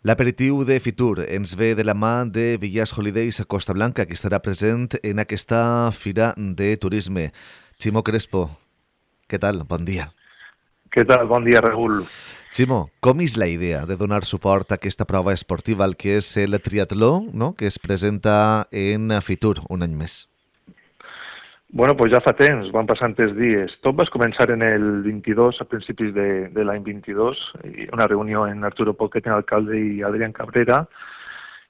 L'aperitiu de Fitur ens ve de la mà de Villas Holidays a Costa Blanca, que estarà present en aquesta fira de turisme. Ximo Crespo, què tal? Bon dia. Què tal? Bon dia, Raül. Ximo, com és la idea de donar suport a aquesta prova esportiva, el que és el triatló, no?, que es presenta en Fitur un any més? Bueno, pues ja fa temps, van passant els dies. Tot va començar en el 22, a principis de l'any 22, una reunió en Arturo Poquet, en alcalde, i Adrián Cabrera,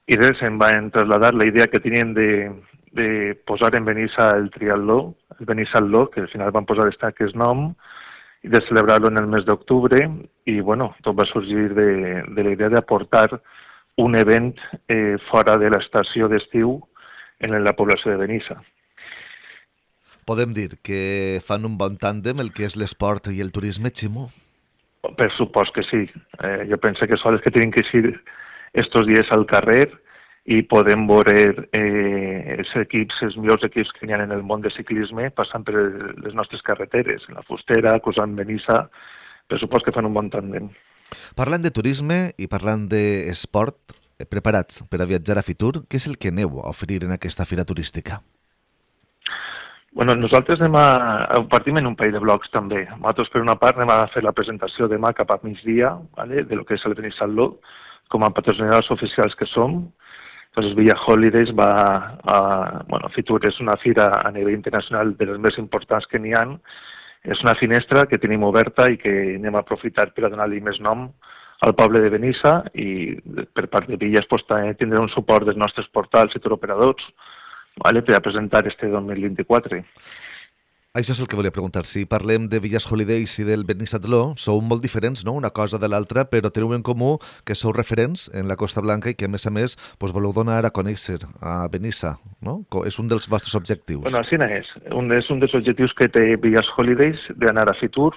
i res, em van traslladar la idea que tenien de posar en Benissa el triatló, el Benissatló, que al final van posar aquest nom, i de celebrar-lo en el mes d'octubre, i bueno, tot va sorgir de la idea d'aportar un event fora de l'estació d'estiu en la població de Benissa. Podem dir que fan un bon tàndem el que és l'esport i el turisme, Ximo? Per supost que sí. Jo penso que són els que tenen que ir estos dies al carrer i podem veure els equips, els millors equips que hi ha en el món de ciclisme passant per les nostres carreteres, en la Fustera, cruzant Benissa, per supost que fan un bon tàndem. Parlant de turisme i parlant d'esport, preparats per a viatjar a Fitur, què és el que aneu a oferir en aquesta fira turística? Bueno, nosaltres partim en un parell de blocs també. Nosaltres, per una part, anem a fer la presentació demà cap a migdia, ¿vale?, de lo que és el Benissatló, com a patrocinadors oficials que som. Entonces, Villa Holidays Fitur és una fira a nivell internacional de les més importants que n'hi ha. És una finestra que tenim oberta i que anem a aprofitar per a donar-li més nom al poble de Benissa, i per part de Villas tindrà un suport dels nostres portals i turoperadors, ¿vale?, per a presentar este 2024. Això és el que volia preguntar. Si parlem de Villas Holidays i del Benissatló, sou molt diferents, no?, una cosa de l'altra, però teniu en comú que sou referents en la Costa Blanca i que, a més, voleu donar a conèixer a Benissa, no? És un dels vostres objectius. Bueno, així és. És un dels objectius que té Villas Holidays, d'anar a Fitur,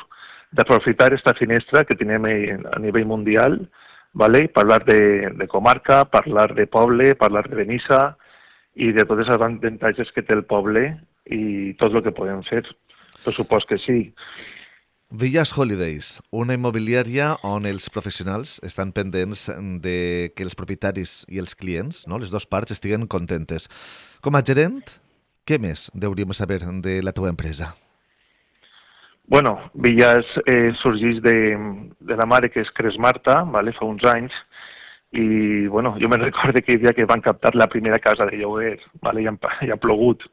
d'aprofitar esta finestra que tenim a nivell mundial, ¿vale?, parlar de comarca, parlar de poble, parlar de Benissa, i de tots els avantatges que té el poble i tot el que podem fer. Per supost que sí. Villas Holidays, una immobiliària on els professionals estan pendents de que els propietaris i els clients, no, les dues parts, estiguen contentes. Com a gerent, què més hauríem saber de la teva empresa? Bueno, Villas sorgeix de la mare, que és Cres Marta, ¿vale?, fa uns anys, i bueno, jo me'n recordo aquell dia que van captar la primera casa de lloguer, ¿vale?, ja ha plogut,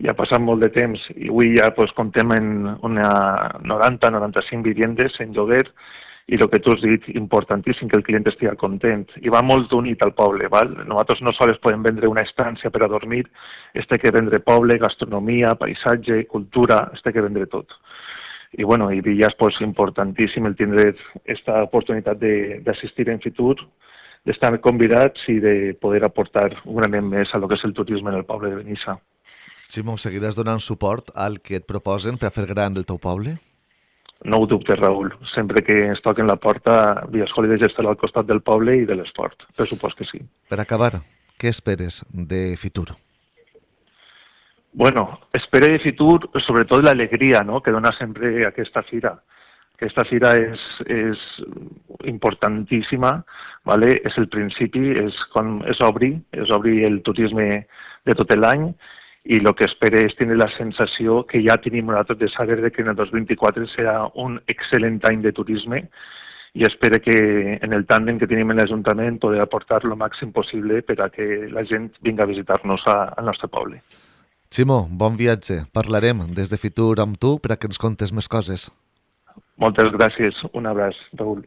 ja ha passat molt de temps, i avui ja comptem en una 90-95 viviendes en lloguer, i el que tu has dit, importantíssim, que el client estigui content, i va molt unit al poble, ¿val? Nosaltres no sols podem vendre una estància per a dormir, que vendre poble, gastronomia, paisatge, cultura, que vendre tot. I bueno, i Villas, importantíssim el tindre aquesta oportunitat d'assistir en Fitur, d'estar convidats i de poder aportar un granet més a lo que és el turisme en el poble de Benissa. Ximo, seguiràs donant suport al que et proposen per a fer gran el teu poble? No ho dubtes, Raül. Sempre que ens toquen la porta, Villas Holidays estarà al costat del poble i de l'esport. Per supost que sí. Per acabar, què esperes de Fitur? Bueno, espero de Fitur sobretot l'alegria, no?, que dona sempre aquesta fira. Aquesta fira és importantíssima, ¿vale?, és el principi, és obrir el turisme de tot l'any, i el que espero és tenir la sensació que ja tenim nosaltres de saber que en el 2024 serà un excel·lent any de turisme, i espero que en el tàndem que tenim en l'Ajuntament poder aportar el màxim possible per a que la gent vingui a visitar-nos al nostre poble. Ximo, bon viatge. Parlarem des de Fitur amb tu per a que ens contes més coses. Moltes gràcies. Un abraç, Raül.